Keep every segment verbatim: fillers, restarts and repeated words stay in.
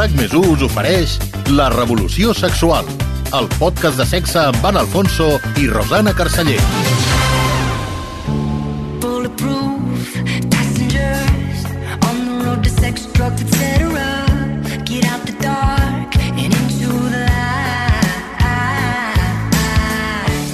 RAC més u us ofereix La Revolució Sexual, el podcast de sexe amb Van Alfonso i Rosana Carceller. Bulletproof passengers on the road to sex, drugs, et cetera. Get out the dark and into the light.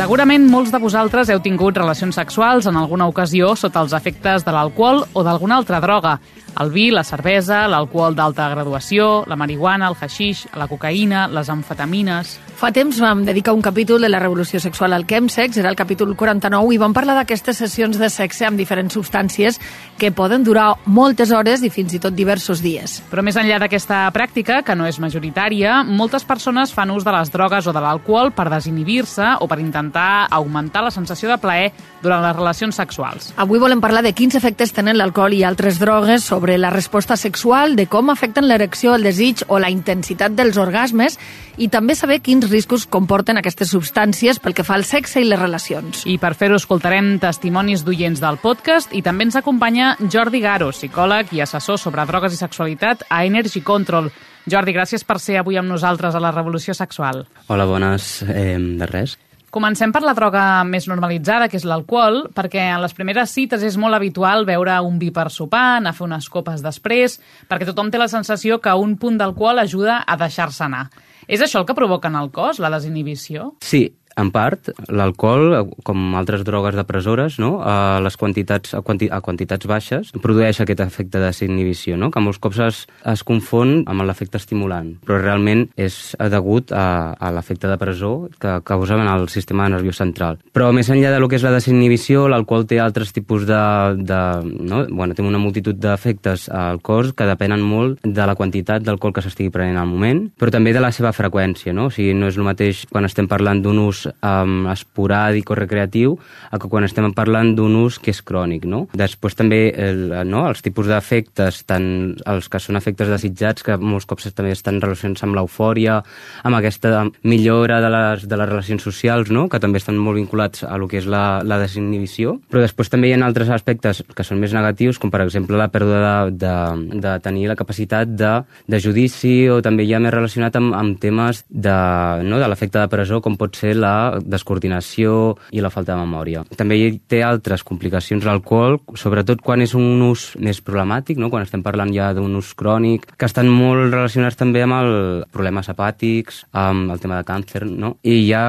Segurament molts de vosaltres heu tingut relacions sexuals en alguna ocasió sota els efectes de l'alcohol o d'alguna altra droga. El vi, la cervesa, l'alcohol d'alta graduació, la marihuana, el haixix, la cocaïna, les amfetamines... Fa temps vam dedicar un capítol de la revolució sexual al Chemsex, era el capítol quaranta-nou, i vam parlar d'aquestes sessions de sexe amb diferents substàncies que poden durar moltes hores i fins i tot diversos dies. Però més enllà d'aquesta pràctica, que no és majoritària, moltes persones fan ús de les drogues o de l'alcohol per desinhibir-se o per intentar augmentar la sensació de plaer durant les relacions sexuals. Avui volem parlar de quins efectes tenen l'alcohol i altres drogues sobre la resposta sexual, de com afecten l'erecció, el desig o la intensitat dels orgasmes, i també saber quins riscos comporten aquestes substàncies pel que fa al sexe i les relacions. I per fer-ho escoltarem testimonis d'oients del podcast i també ens acompanya Jordi Garo, psicòleg i assessor sobre drogues i sexualitat a Energy Control. Jordi, gràcies per ser avui amb nosaltres a la Revolució Sexual. Hola, bones. Eh, de res. Comencem per la droga més normalitzada, que és l'alcohol, perquè en les primeres cites és molt habitual veure un vi per sopar, anar a fer unes copes després, perquè tothom té la sensació que un punt d'alcohol ajuda a deixar-se anar. És això el que provoca en el cos, la desinhibició? Sí, en part, l'alcohol, com altres drogues depressores, no? a les quantitats, a, quanti, a quantitats baixes, produeix aquest efecte de desinhibició, no? que molts cops es, es confon amb l'efecte estimulant, però realment és degut a, a l'efecte depressor que causa en el sistema nerviós central. Però més enllà de lo que és la desinhibició, l'alcohol té altres tipus de... de no? bueno, té una multitud d'efectes al cos que depenen molt de la quantitat d'alcohol que s'estigui prenent al moment, però també de la seva freqüència, no? O sigui, no és el mateix quan estem parlant d'un ús Um, esporàdic o recreatiu a que quan estem parlant d'un ús que és crònic, no? Després també el, no? els tipus d'efectes, tant els que són efectes desitjats, que molts cops també estan relacionats amb l'eufòria, amb aquesta millora de les, de les relacions socials, no? que també estan molt vinculats a lo que és la, la desinhibició, però després també hi ha altres aspectes que són més negatius, com per exemple la pèrdua de, de, de tenir la capacitat de, de judici, o també ja més relacionat amb, amb temes de, no? de l'efecte de presó, com pot ser la descoordinació i la falta de memòria. També hi té altres complicacions l'alcohol, sobretot quan és un ús més problemàtic, no? quan estem parlant ja d'un ús crònic, que estan molt relacionats també amb els problemes hepàtics, amb el tema de càncer, no? I ja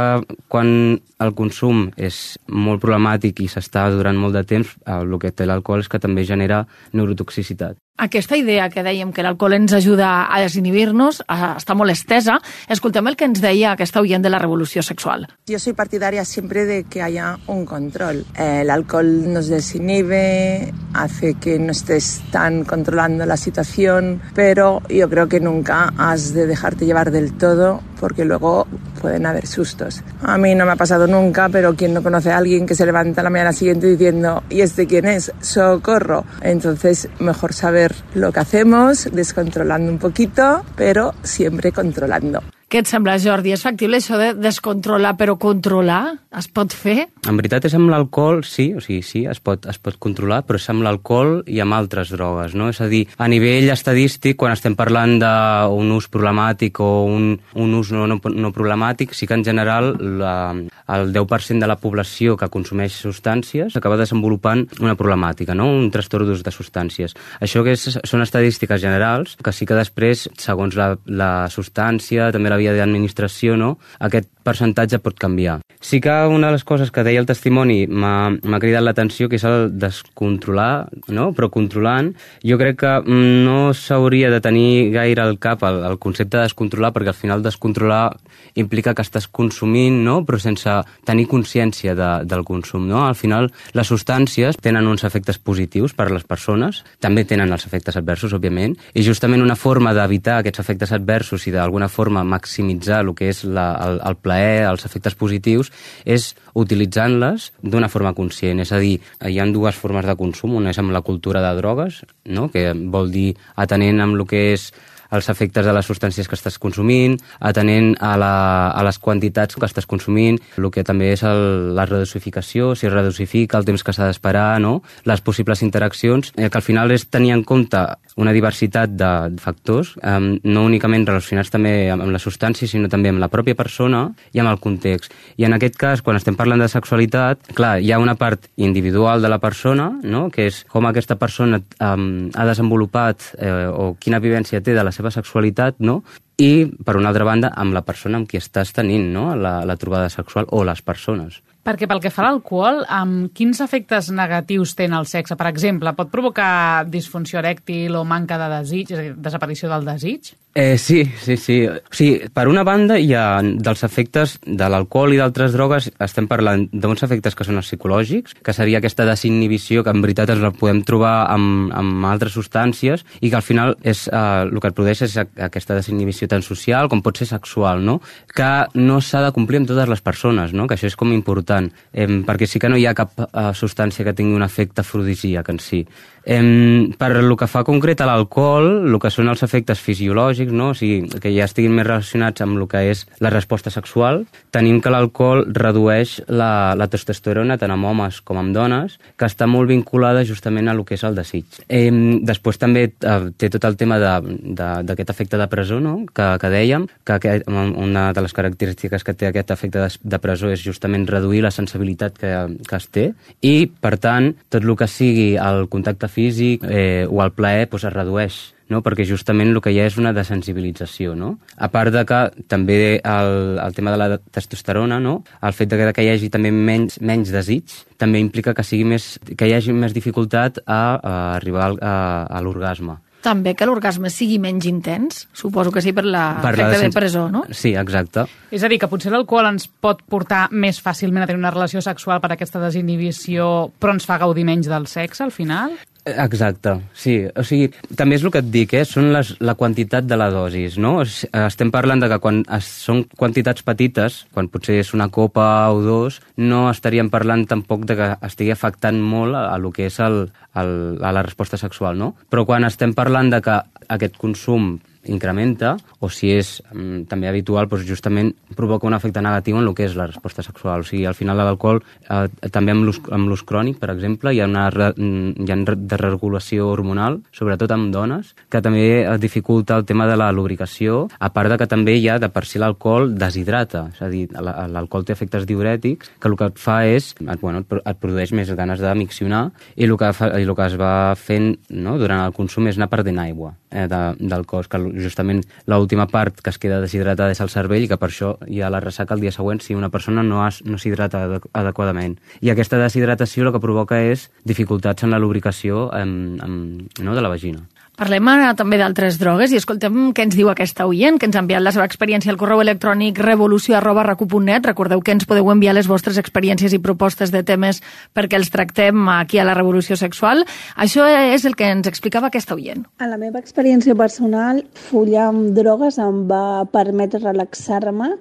quan el consum és molt problemàtic i s'està durant molt de temps, el que té l'alcohol és que també genera neurotoxicitat. Aquesta idea que dèiem que l'alcohol ens ajuda a desinhibir-nos està molt estesa. Escoltem el que ens deia aquesta oient de la Revolució Sexual. Yo soy partidaria siempre de que haya un control. Eh, el alcohol nos desinhibe, hace que no estés tan controlando la situación, pero yo creo que nunca has de dejarte llevar del todo, porque luego pueden haber sustos. A mí no me ha pasado nunca, pero quien no conoce a alguien que se levanta la mañana siguiente diciendo ¿y este quién es? ¡Socorro! Entonces, mejor saber lo que hacemos, descontrolando un poquito, pero siempre controlando. Què et sembla, Jordi? És factible això de descontrolar, però controlar? Es pot fer? En veritat és amb l'alcohol, sí, o sigui, sí, es pot, es pot controlar, però és amb l'alcohol i amb altres drogues, no? És a dir, a nivell estadístic, quan estem parlant d'un ús problemàtic o un, un ús no, no, no problemàtic, sí que en general la, el deu per cent de la població que consumeix substàncies acaba desenvolupant una problemàtica, no? Un trastorn d'ús de substàncies. Això que és, són estadístiques generals, que sí que després, segons la, la substància, també la via d'administració, no? Aquest percentatge pot canviar. Sí que una de les coses que deia el testimoni m'ha cridat l'atenció, que és el descontrolar, no? Però controlant, jo crec que no s'hauria de tenir gaire al cap el, el concepte de descontrolar, perquè al final descontrolar implica que estàs consumint, no? Però sense tenir consciència de, del consum, no? Al final, les substàncies tenen uns efectes positius per a les persones, també tenen els efectes adversos, òbviament, i justament una forma d'evitar aquests efectes adversos i d'alguna forma maximitzar el que és la, el, el plaer, els efectes positius, és utilitzant-les d'una forma conscient. És a dir, hi ha dues formes de consum, una és amb la cultura de drogues, no? Que vol dir atenent amb el que és els efectes de les substàncies que estàs consumint, atenent a, la, a les quantitats que estàs consumint, el que també és el, la redosificació, si es redosifica, el temps que s'ha d'esperar, no? Les possibles interaccions, eh, que al final és tenir en compte una diversitat de factors, eh, no únicament relacionats també amb la substància, sinó també amb la pròpia persona i amb el context. I en aquest cas, quan estem parlant de sexualitat, clar, hi ha una part individual de la persona, no?, que és com aquesta persona eh, ha desenvolupat eh, o quina vivència té de la seva sexualitat, no?, i, per una altra banda, amb la persona amb qui estàs tenint, no?, la, la trobada sexual o les persones. Perquè pel que fa a l'alcohol, amb quins efectes negatius té en el sexe? Per exemple, pot provocar disfunció erèctil o manca de desig, és a dir, desaparició del desig? Eh, sí, sí, sí. O sigui, per una banda, hi ha dels efectes de l'alcohol i d'altres drogues, estem parlant d'uns efectes que són els psicològics, que seria aquesta desinhibició, que en veritat ens la podem trobar amb, amb altres substàncies, i que al final és, eh, el que et produeix és aquesta desinhibició tant social com pot ser sexual, no?, que no s'ha de complir amb totes les persones, no?, que això és com important, eh, perquè sí que no hi ha cap eh, substància que tingui un efecte afrodisíac en si. Eh, per el que fa concret a l'alcohol, el que són els efectes fisiològics, no?, o sigui, que ja estiguin més relacionats amb el que és la resposta sexual, tenim que l'alcohol redueix la, la testosterona tant amb homes com amb dones, que està molt vinculada justament a el que és el desig. Eh, després també eh, té tot el tema d'aquest efecte de presó, no?, que, que dèiem, que aquest, una de les característiques que té aquest efecte de, de presó és justament reduir la sensibilitat que, que es té, i, per tant, tot el que sigui el contacte físic eh, o el plaer doncs es redueix, no?, perquè justament el que hi ha és una desensibilització, no? A part de que també el, el tema de la testosterona, no?, el fet de que, que hi hagi també menys, menys desig, també implica que, sigui més, que hi hagi més dificultat a, a arribar a, a l'orgasme. També que l'orgasme sigui menys intens? Suposo que sí, per l'efecte de presó, no? Sí, exacte. És a dir, que potser l'alcohol ens pot portar més fàcilment a tenir una relació sexual per aquesta desinhibició, però ens fa gaudir menys del sexe, al final? Exacte, sí. O sigui, també és el que et dic, eh? Són les, la quantitat de la dosis, no? Estem parlant de que quan es, són quantitats petites, quan potser és una copa o dos, no estaríem parlant tampoc de que estigui afectant molt a, a lo que és el, el, a la resposta sexual, no? Però quan estem parlant de que aquest consum incrementa, o si és um, també habitual, doncs justament provoca un efecte negatiu en el que és la resposta sexual. O sigui, al final l'alcohol, eh, també amb l'ús crònic, per exemple, hi ha una re, hi ha desregulació hormonal, sobretot amb dones, que també dificulta el tema de la lubricació, a part de que també hi ha de per si l'alcohol deshidrata, és a dir, l'alcohol té efectes diurètics, que el que et fa és, et, bueno, et produeix més ganes de miccionar, i el que, fa, i el que es va fent, no?, durant el consum és anar perdent aigua eh, de, del cos, que justament l'última part que es queda deshidratada és el cervell, i que per això hi ha la ressaca el dia següent si una persona no, has, no s'hidrata adequadament. I aquesta deshidratació el que provoca és dificultats en la lubricació en, en, no, de la vagina. Parlem ara també d'altres drogues i escoltem què ens diu aquesta oient, que ens ha enviat la seva experiència al correu electrònic revolució arroba racu punt net. Recordeu que ens podeu enviar les vostres experiències i propostes de temes perquè els tractem aquí a la Revolució Sexual. Això és el que ens explicava aquesta oient. En la meva experiència personal, follar amb drogues em va permetre relaxar-me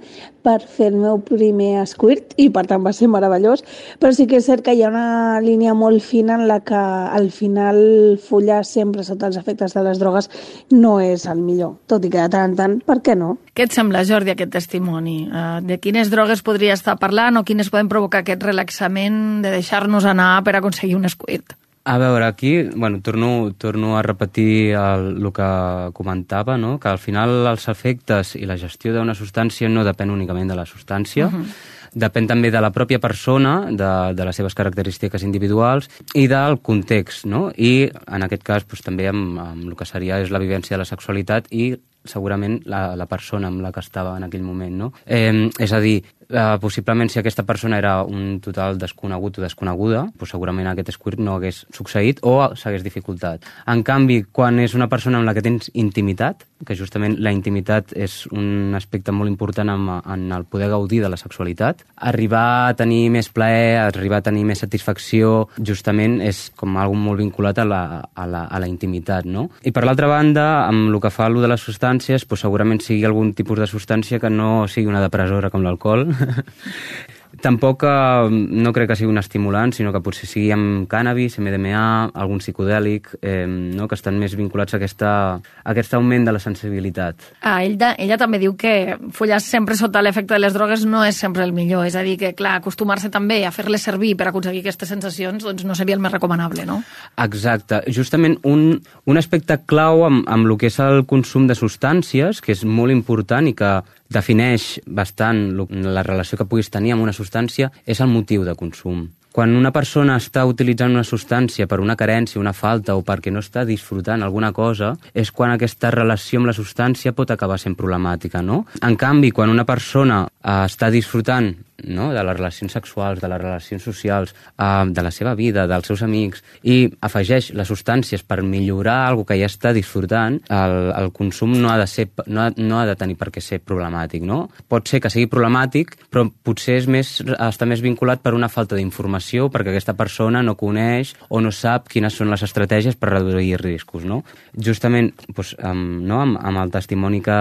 per fer el meu primer squirt i per tant va ser meravellós, però sí que és cert que hi ha una línia molt fina en la que al final follar sempre sota els efectes de les drogues no és el millor, tot i que de tant en tant, per què no? Què et sembla, Jordi, aquest testimoni? De quines drogues podria estar parlant o quines poden provocar aquest relaxament de deixar-nos anar per aconseguir un squirt? A veure, aquí, bueno, torno, torno a repetir el, el que comentava, no?, que al final els efectes i la gestió d'una substància no depèn únicament de la substància, uh-huh. Depèn també de la pròpia persona, de, de les seves característiques individuals i del context, no? I en aquest cas doncs, també amb, amb el que seria és la vivència de la sexualitat i segurament la, la persona amb la que estava en aquell moment, no? Eh, és a dir, eh, possiblement si aquesta persona era un total desconegut o desconeguda, doncs segurament aquest squirt no hagués succeït o s'hagués dificultat. En canvi, quan és una persona amb la que tens intimitat, que justament la intimitat és un aspecte molt important en, en el poder gaudir de la sexualitat, arribar a tenir més plaer, arribar a tenir més satisfacció, justament és com algo molt vinculat a la, a la, a la intimitat, no? I per l'altra banda, amb el que fa allò de les substàncies, doncs segurament sigui algun tipus de substància que no sigui una depressora com l'alcohol, Tampoc eh, no crec que sigui un estimulant, sinó que potser sigui amb cànnabis, M D M A, algun psicodèlic, eh, no? Que estan més vinculats a, aquesta, a aquest augment de la sensibilitat. Ah, ella, ella també diu que follar sempre sota l'efecte de les drogues no és sempre el millor, és a dir, que clar, acostumar-se també a fer-les servir per aconseguir aquestes sensacions doncs no seria el més recomanable, no? Exacte. Justament un, un aspecte clau amb, amb el que és el consum de substàncies, que és molt important i que defineix bastant la relació que puguis tenir amb una substància, és el motiu de consum. Quan una persona està utilitzant una substància per una carència, una falta o perquè no està disfrutant alguna cosa, és quan aquesta relació amb la substància pot acabar sent problemàtica, no? En canvi, quan una persona eh, està disfrutant, no?, de les relacions sexuals, de les relacions socials, eh, de la seva vida, dels seus amics, i afegeix les substàncies per millorar alguna que ja està disfrutant, el, el consum no ha de ser, no ha, no ha de tenir per què ser problemàtic, no? Pot ser que sigui problemàtic, però potser és més, està més vinculat per una falta d'informació, perquè aquesta persona no coneix o no sap quines són les estratègies per reduir riscos, no? Justament, doncs, amb, no, amb, amb el testimoni que,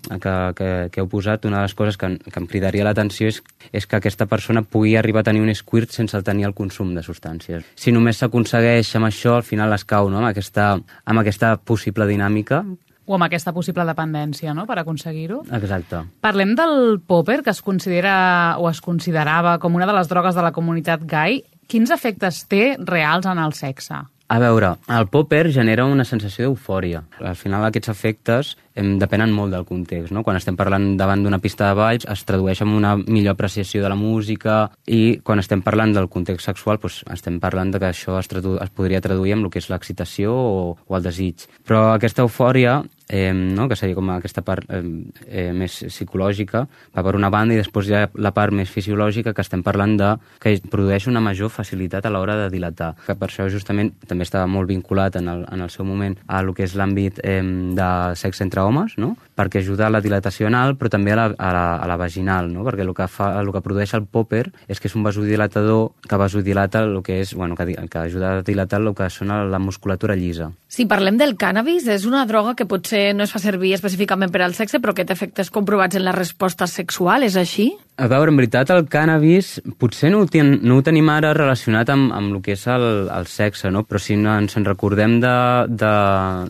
que, que, que heu posat, una de les coses que, que em cridaria l'atenció és, és que aquesta persona pugui arribar a tenir un squirt sense tenir el consum de substàncies. Si només s'aconsegueix amb això, al final es cau, no?, amb aquesta, amb aquesta possible dinàmica. O amb aquesta possible dependència, no?, per aconseguir-ho. Exacte. Parlem del popper, que es considera o es considerava com una de les drogues de la comunitat gai. Quins efectes té reals en el sexe? A veure, el popper genera una sensació d'eufòria. Al final aquests efectes em, depenen molt del context, no? Quan estem parlant davant d'una pista de balls es tradueix en una millor apreciació de la música, i quan estem parlant del context sexual doncs estem parlant de que això es, tradu es podria traduir amb el que és l'excitació o, o el desig. Però aquesta eufòria, eh, no? que seria com aquesta part eh, eh, més psicològica, va per una banda, i després hi ha la part més fisiològica, que estem parlant de que produeix una major facilitat a l'hora de dilatar. Que per això justament també estava molt vinculat en el, en el seu moment a el que és l'àmbit eh, de sexe entre homes, no? Perquè ajuda a la dilatació anal, però també a la, a la, a la vaginal, no? Perquè el que, fa, el que produeix el popper és que és un vasodilatador que vasodilata el que és, bueno, que, que ajuda a dilatar el que són la musculatura llisa. Si parlem del cànnabis, és una droga que potser no es fa servir específicament per al sexe, però que té efectes comprovats en la resposta sexual, és així? A veure, en veritat, el cànnabis potser no ho, ten, no ho tenim ara relacionat amb, amb el que és el, el sexe, no? Però si no ens en recordem de, de,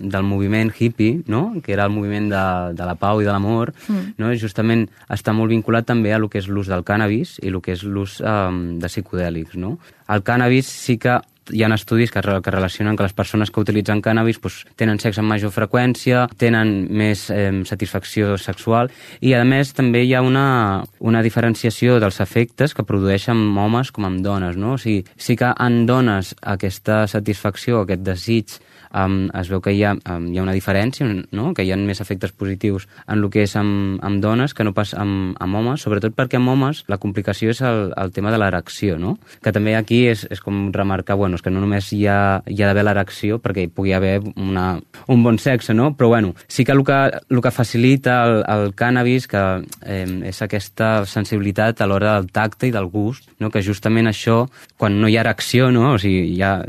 del moviment hippie, no?, que era el moviment de, de la pau i de l'amor, mm. no? Justament està molt vinculat també a lo que és l'ús del cànnabis i el que és l'ús um, de psicodèlics, no? El cànnabis sí que hi ha estudis que, que relacionen que les persones que utilitzen cànnabis pues, tenen sexe amb major freqüència, tenen més eh, satisfacció sexual, i a més també hi ha una, una diferenciació dels efectes que produeixen homes com amb dones, no? O sigui, sí que en dones aquesta satisfacció, aquest desig, um, es veu que hi ha, um, hi ha una diferència, no? Que hi ha més efectes positius en el que és amb, amb dones que no pas amb, amb homes, sobretot perquè amb homes la complicació és el, el tema de l'erecció, no? Que també aquí és, és com remarcar, bueno, és que no només hi ha, hi ha d'haver l'erecció perquè hi pugui haver una, un bon sexe, no? Però bueno, sí que el que, el que facilita el, el cànnabis que eh, és aquesta sensibilitat a l'hora del tacte i del gust, no? Que justament això, quan no hi ha erecció, no? O sigui, ja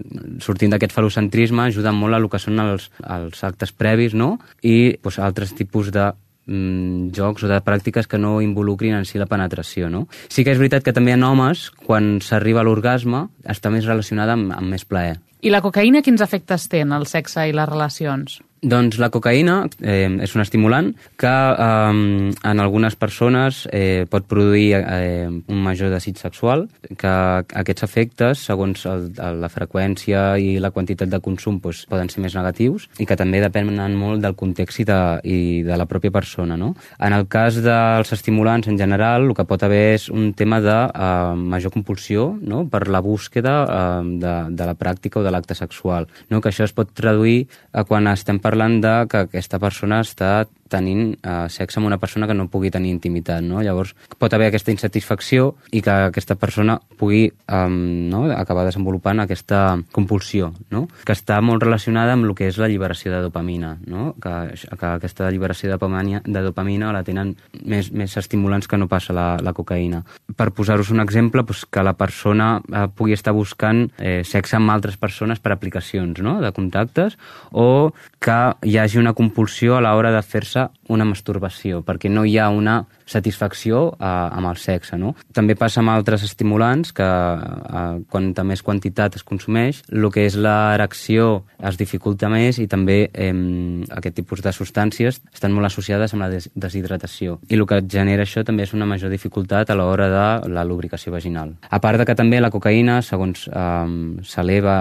sortint d'aquest falocentrisme, ajuda molt a el que són els, els actes previs, no? I pues, altres tipus de mm, jocs o de pràctiques que no involucrin en si la penetració, no? Sí que és veritat que també en homes, quan s'arriba a l'orgasme, està més relacionada amb, amb més plaer. I la cocaïna quins efectes té en el sexe i les relacions? Doncs la cocaïna eh, és un estimulant que eh, en algunes persones eh, pot produir eh, un major desig sexual, que aquests efectes, segons el, la freqüència i la quantitat de consum, doncs, poden ser més negatius, i que també depenen molt del context i de, i de la pròpia persona, no? En el cas dels estimulants en general, el que pot haver és un tema de eh, major compulsió, no?, per la búsqueda eh, de, de la pràctica o de l'acte sexual, no? Que això es pot traduir a quan estem parlant de que aquesta persona està tenint eh, sexe amb una persona que no pugui tenir intimitat, no? Llavors pot haver aquesta insatisfacció i que aquesta persona pugui eh, no? acabar desenvolupant aquesta compulsió, no? Que està molt relacionada amb el que és la lliberació de dopamina, no? Que, que aquesta lliberació de dopamina, de dopamina la tenen més, més estimulants que no passa la, la cocaïna. Per posar-vos un exemple, doncs, que la persona eh, pugui estar buscant eh, sexe amb altres persones per aplicacions, no?, de contactes, o que hi hagi una compulsió a l'hora de fer-se produir-se una masturbació, perquè no hi ha una satisfacció eh, amb el sexe, no? També passa amb altres estimulants que eh, quanta més quantitat es consumeix, el que és l'erecció es dificulta més i també eh, aquest tipus de substàncies estan molt associades amb la des deshidratació. I el que genera això també és una major dificultat a l'hora de la lubricació vaginal. A part de que també la cocaïna, segons eh, s'eleva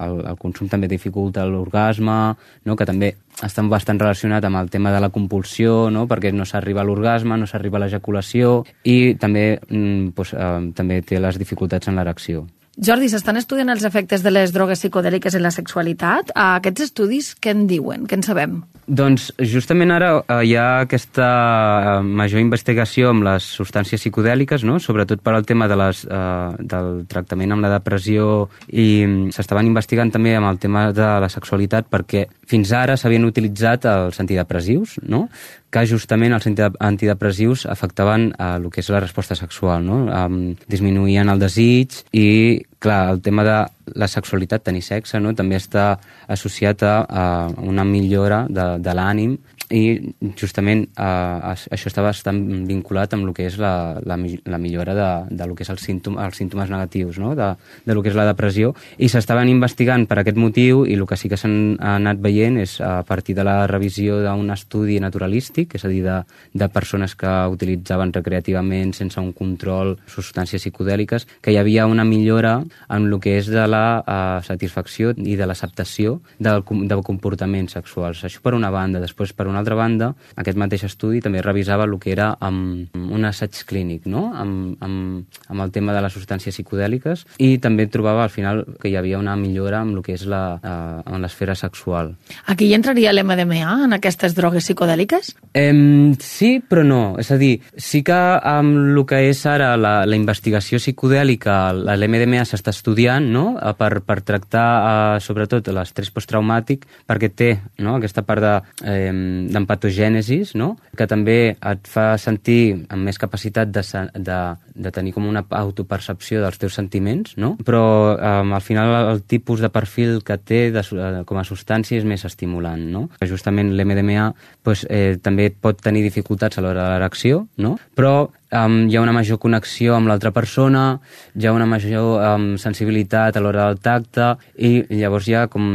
el, el consum, també dificulta l'orgasme, no? Que també està bastant relacionat amb el tema de la compulsió, no? Perquè no s'arriba a l'orgasme, no s'arriba a l'ejaculació i també, mm, doncs, eh, també té les dificultats en l'erecció. Jordi, s'estan estudiant els efectes de les drogues psicodèliques en la sexualitat? Aquests estudis què en diuen? Què en sabem? Doncs justament ara eh, hi ha aquesta major investigació amb les substàncies psicodèliques, no? Sobretot per al tema de les, eh, del tractament amb la depressió, i s'estaven investigant també amb el tema de la sexualitat, perquè fins ara s'havien utilitzat els antidepressius, no? Que justament els antidepressius afectaven a el que és la resposta sexual, no? Um, disminuïen el desig i, clar, el tema de la sexualitat, tenir sexe, no? També està associat a, a una millora de, de l'ànim, i justament eh, això està bastant vinculat amb el que és la, la, la millora de, de lo que és el símptom, els símptomes negatius, no? de, de lo que és la depressió, i s'estaven investigant per aquest motiu, i el que sí que s'han anat veient és a partir de la revisió d'un estudi naturalístic, és a dir, de, de persones que utilitzaven recreativament sense un control substàncies psicodèliques, que hi havia una millora en el que és de la eh, satisfacció i de l'acceptació del, del comportaments sexuals. Això per una banda. Després, per una altra banda, aquest mateix estudi també revisava el que era amb un assaig clínic, no? amb, amb, amb el tema de les substàncies psicodèliques, i també trobava al final que hi havia una millora amb el que és la, eh, en l'esfera sexual. Aquí hi entraria l'M D M A, en aquestes drogues psicodèliques? Eh, sí, però no. És a dir, sí que amb el que és ara la, la investigació psicodèlica, l'M D M A s'està estudiant, no? per, per tractar eh, sobretot l'estrès posttraumàtic, perquè té, no? aquesta part de eh, d'empatogènesis, no? Que també et fa sentir amb més capacitat de, de, de tenir com una autopercepció dels teus sentiments, no? Però eh, al final el tipus de perfil que té de, com a substància és més estimulant, no? Justament l'M D M A pues, eh, també pot tenir dificultats a l'hora de l'erecció, no? Però Um, hi ha una major connexió amb l'altra persona, hi ha una major um, sensibilitat a l'hora del tacte, i llavors hi ha com,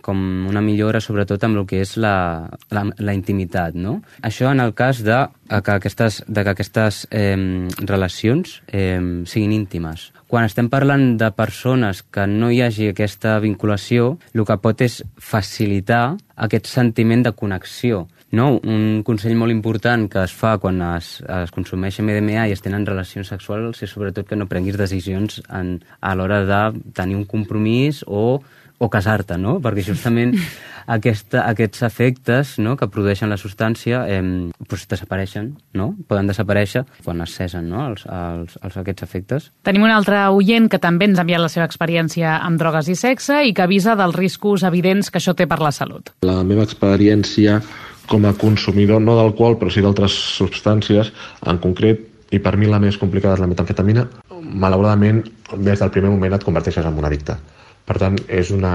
com una millora sobretot amb el que és la, la, la intimitat, no? Això en el cas de que aquestes, de que aquestes eh, relacions eh, siguin íntimes. Quan estem parlant de persones que no hi hagi aquesta vinculació, el que pot és facilitar aquest sentiment de connexió. No, un consell molt important que es fa quan es, es consumeix M D M A i es tenen relacions sexuals és sobretot que no prenguis decisions en, a l'hora de tenir un compromís o, o casar-te, no? Perquè justament aquesta, aquests efectes, no?, que produeixen la substància eh, pues desapareixen, no? Poden desaparèixer quan es cesen, no?, els, els, els, aquests efectes. Tenim un altre oient que també ens ha enviat la seva experiència amb drogues i sexe i que avisa dels riscos evidents que això té per la salut. La meva experiència com a consumidor, no d'alcohol, però sí d'altres substàncies, en concret, i per mi la més complicada és la metamfetamina, malauradament, des del primer moment et converteixes en un addicte. Per tant, és una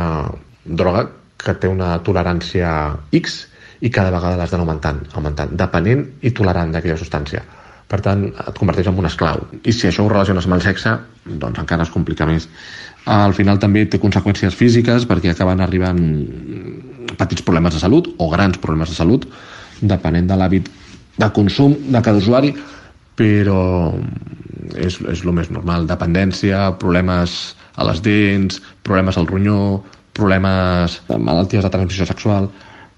droga que té una tolerància X i cada vegada l'has d'anar augmentant, augmentant, depenent i tolerant d'aquella substància. Per tant, et converteix en un esclau. I si això ho relaciones amb el sexe, doncs encara es complica més. Al final també té conseqüències físiques perquè acaben arribant petits problemes de salut o grans problemes de salut, depenent de l'hàbit de consum de cada usuari, però és, és el més normal. Dependència, problemes a les dents, problemes al ronyó, problemes de malalties de transmissió sexual.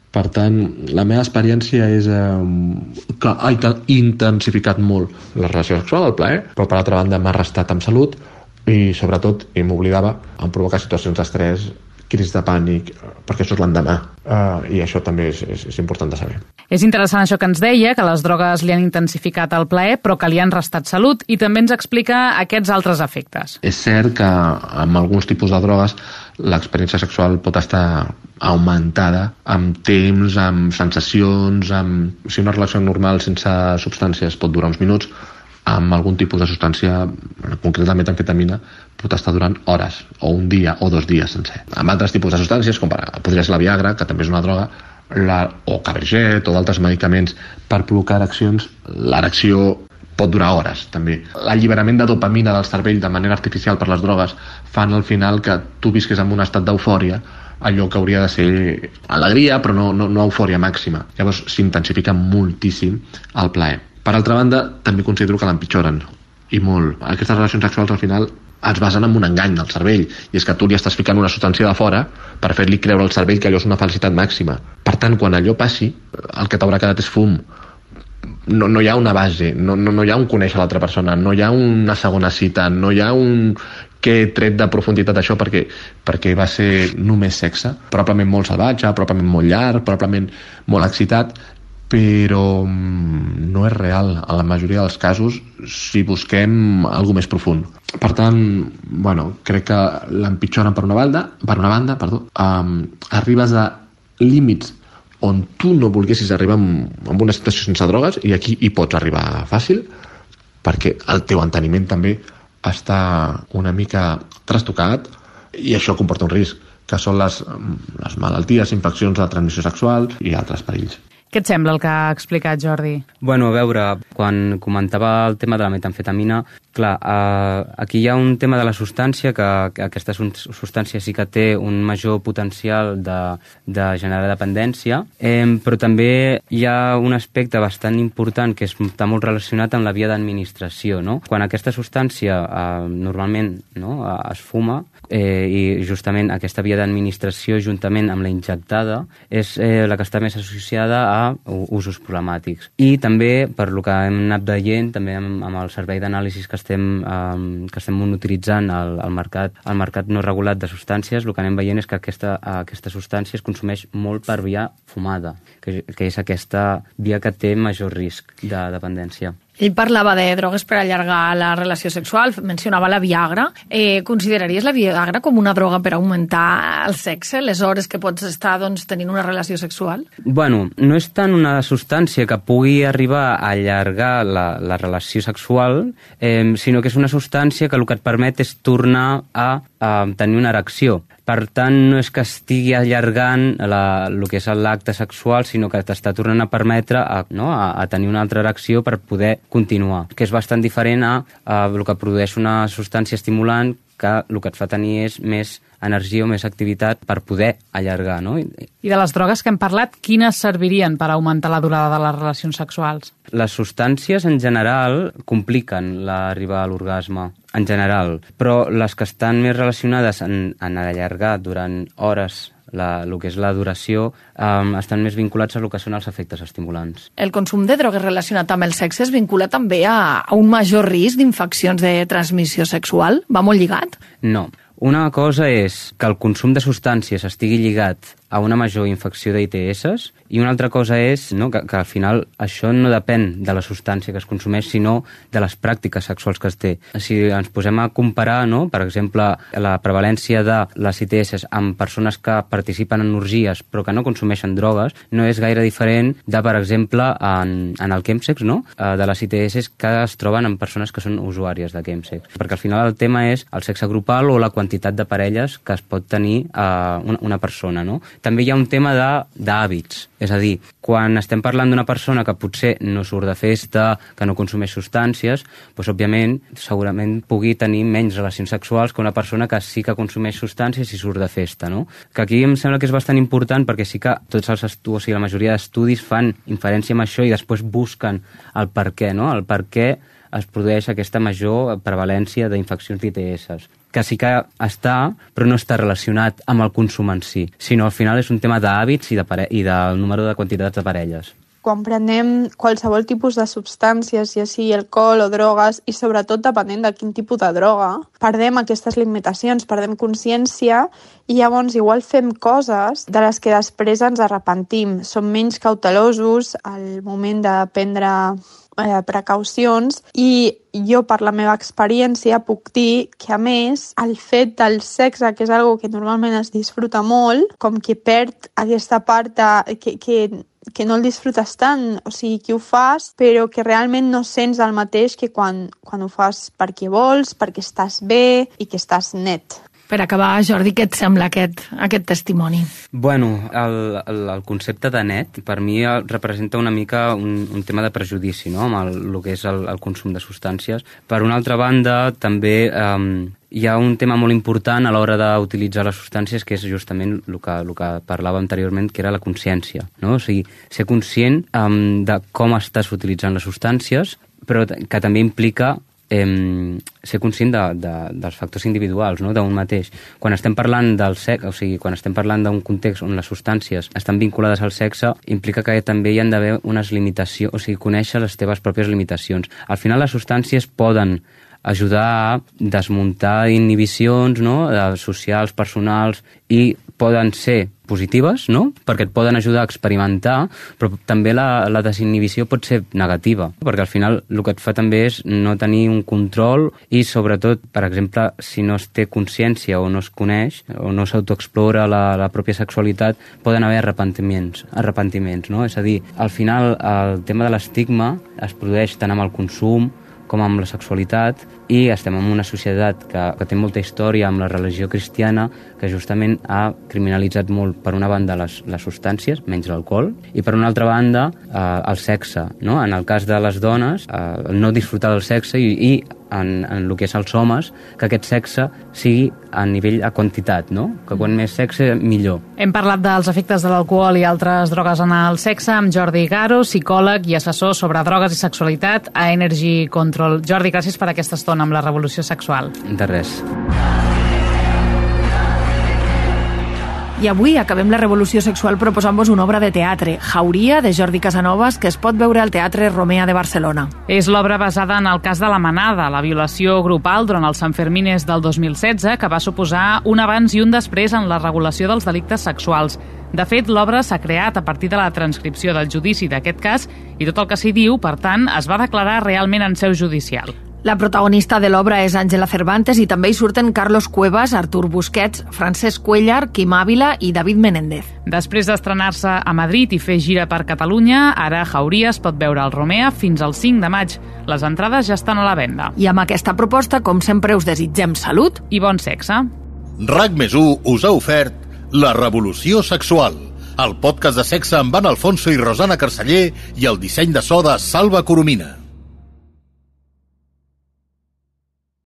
Per tant, la meva experiència és eh, que ha intensificat molt la relació sexual, el plaer, però per altra banda m'ha restat amb salut i sobretot, i m'oblidava, em provocar situacions d'estrès, crisis de pànic, perquè això és l'endemà. Uh, I això també és, és, és important de saber. És interessant això que ens deia, que les drogues li han intensificat el plaer, però que li han restat salut, i també ens explica aquests altres efectes. És cert que amb alguns tipus de drogues l'experiència sexual pot estar augmentada amb temps, amb sensacions, amb... Si una relació normal sense substàncies pot durar uns minuts, amb algun tipus de substància, en concret la metamfetamina, pot estar durant hores, o un dia, o dos dies sencer. Amb altres tipus de substàncies, com podria ser la Viagra, que també és una droga, la, o Caberget o d'altres medicaments per provocar ereccions, l'erecció pot durar hores, també. L'alliberament de dopamina del cervell de manera artificial per les drogues fan al final que tu visquis en un estat d'eufòria, allò que hauria de ser alegria, però no, no, no eufòria màxima. Llavors s'intensifica moltíssim el plaer. Per altra banda, també considero que l'empitjoren, i molt. Aquestes relacions sexuals al final es basen en un engany del cervell, i és que tu li estàs ficant una substància de fora per fer-li creure al cervell que allò és una felicitat màxima. Per tant, quan allò passi, el que t'haurà quedat és fum. No, no hi ha una base, no, no, no hi ha un conèixer l'altra persona, no hi ha una segona cita, no hi ha un que he tret de profunditat això perquè, perquè va ser només sexe, probablement molt salvatge, probablement molt llarg, probablement molt excitat, però no és real en la majoria dels casos si busquem alguna més profund. Per tant, bueno, crec que l'empitjoren per una banda, per una banda, perdó, um, arribes a límits on tu no volguessis arribar amb, amb una situació sense drogues, i aquí hi pots arribar fàcil, perquè el teu enteniment també està una mica trastocat, i això comporta un risc, que són les, les malalties, infeccions de transmissió sexual i altres perills. Què et sembla el que ha explicat Jordi? Bueno, a veure, quan comentava el tema de la metamfetamina, clar, eh, aquí hi ha un tema de la substància, que, que aquesta substància sí que té un major potencial de, de generar dependència, eh, però també hi ha un aspecte bastant important que està molt relacionat amb la via d'administració, no? Quan aquesta substància eh, normalment no, es fuma, eh, i justament aquesta via d'administració juntament amb la injectada és eh, la que està més associada a usos problemàtics. I també, per lo que hem anat veient, també amb, amb el servei d'anàlisis que estem, um, que estem utilitzant al, al, mercat, al mercat no regulat de substàncies, el que anem veient és que aquesta, aquesta substància es consumeix molt per via fumada, que, que és aquesta via que té major risc de dependència. Ell parlava de drogues per allargar la relació sexual, mencionava la Viagra. Eh, consideraries la Viagra com una droga per augmentar el sexe, les hores que pots estar doncs, tenint una relació sexual? Bueno, no és tant una substància que pugui arribar a allargar la, la relació sexual, eh, sinó que és una substància que el que et permet és tornar a, a tenir una erecció. Per tant, no és que estigui allargant la, el que és l'acte sexual, sinó que t'està tornant a permetre a, no, a, a tenir una altra erecció per poder continuar, que és bastant diferent a, a el que produeix una substància estimulant, que el que et fa tenir és més energia o més activitat per poder allargar, no? I de les drogues que hem parlat, quines servirien per augmentar la durada de les relacions sexuals? Les substàncies, en general, compliquen l'arribada a l'orgasme, en general, però les que estan més relacionades en, en allargar durant hores la, el que és la duració, um, estan més vinculats a el que són els efectes estimulants. El consum de drogues relacionat amb el sexe es vincula també a, a un major risc d'infeccions de transmissió sexual? Va molt lligat? No. Una cosa és que el consum de substàncies estigui lligat a una major infecció d'I T S, i una altra cosa és no, que, que al final això no depèn de la substància que es consumeix, sinó de les pràctiques sexuals que es té. Si ens posem a comparar, no, per exemple, la prevalència de les I T S amb persones que participen en orgies però que no consumeixen drogues, no és gaire diferent de, per exemple, en, en el chemsex, no? De les I T S que es troben en persones que són usuàries de chemsex. Perquè al final el tema és el sexe grupal o la quantitat de parelles que es pot tenir uh, una, una persona, no? També hi ha un tema d'hàbits, és a dir, quan estem parlant d'una persona que potser no surt de festa, que no consumeix substàncies, doncs, òbviament, segurament pugui tenir menys relacions sexuals que una persona que sí que consumeix substàncies i surt de festa, no? Que aquí em sembla que és bastant important perquè sí que tots els estudis, o sigui, la majoria d'estudis fan inferència amb això i després busquen el per què, no? El per què es produeix aquesta major prevalència d'infeccions d'I T S, que sí que està, però no està relacionat amb el consum en si, sinó al final és un tema d'hàbits i, de pare... i del número de quantitats de parelles. Quan prenem qualsevol tipus de substàncies, ja sigui alcohol o drogues, i sobretot depenent de quin tipus de droga, perdem aquestes limitacions, perdem consciència i llavors igual fem coses de les que després ens arrepentim. Som menys cautelosos al moment de prendre eh, precaucions i jo, per la meva experiència, puc dir que, a més, el fet del sexe, que és algo que normalment es disfruta molt, com que perd aquesta part de, que, que, que no el disfrutes tant, o sigui, que ho fas, però que realment no sents el mateix que quan, quan ho fas perquè vols, perquè estàs bé i que estàs net. Per acabar, Jordi, què et sembla aquest, aquest testimoni? Bueno, el, el, el concepte de net per mi representa una mica un, un tema de prejudici, no?, amb el, el que és el, el consum de substàncies. Per una altra banda, també eh, hi ha un tema molt important a l'hora d'utilitzar les substàncies, que és justament el que, el que parlàvem anteriorment, que era la consciència, no? O sigui, ser conscient um, de com estàs utilitzant les substàncies, però que també implica eh, ser conscient de, de, dels factors individuals, no?, d'un mateix. Quan estem parlant del sexe, o sigui, quan estem parlant d'un context on les substàncies estan vinculades al sexe, implica que també hi han d'haver unes limitacions, o sigui, conèixer les teves pròpies limitacions. Al final, les substàncies poden ajudar a desmuntar inhibicions, no?, socials, personals, i poden ser positives, no?, perquè et poden ajudar a experimentar, però també la, la desinhibició pot ser negativa, perquè al final el que et fa també és no tenir un control i, sobretot, per exemple, si no es té consciència o no es coneix o no s'autoexplora la, la pròpia sexualitat, poden haver arrepentiments, arrepentiments, no? És a dir, al final el tema de l'estigma es produeix tant amb el consum com amb la sexualitat, i estem en una societat que, que té molta història amb la religió cristiana, que justament ha criminalitzat molt, per una banda, les, les substàncies, menys l'alcohol, i per una altra banda, eh, el sexe, no? En el cas de les dones, eh, el no disfrutar del sexe, i, i en, en el que és els homes, que aquest sexe sigui a nivell a quantitat, no? Que quan més sexe, millor. Hem parlat dels efectes de l'alcohol i altres drogues en el sexe amb Jordi Garo, psicòleg i assessor sobre drogues i sexualitat a Energy Control. Jordi, gràcies per aquesta estona amb la revolució sexual. De res. I avui acabem la revolució sexual proposant-vos una obra de teatre, Jauria, de Jordi Casanovas, que es pot veure al Teatre Romea de Barcelona. És l'obra basada en el cas de la Manada, la violació grupal durant els Sanfermines del dos mil setze, que va suposar un abans i un després en la regulació dels delictes sexuals. De fet, l'obra s'ha creat a partir de la transcripció del judici d'aquest cas i tot el que s'hi diu, per tant, es va declarar realment en seu judicial. La protagonista de l'obra és Àngela Cervantes i també hi surten Carlos Cuevas, Artur Busquets, Francesc Cuellar, Quim Ávila i David Menéndez. Després d'estrenar-se a Madrid i fer gira per Catalunya, ara Jauria es pot veure al Romea fins al cinc de maig. Les entrades ja estan a la venda. I amb aquesta proposta, com sempre, us desitgem salut i bon sexe. RAC més u us ha ofert La Revolució Sexual, el podcast de sexe amb Anna Alfonso i Rosana Carceller i el disseny de so de Salva Coromina.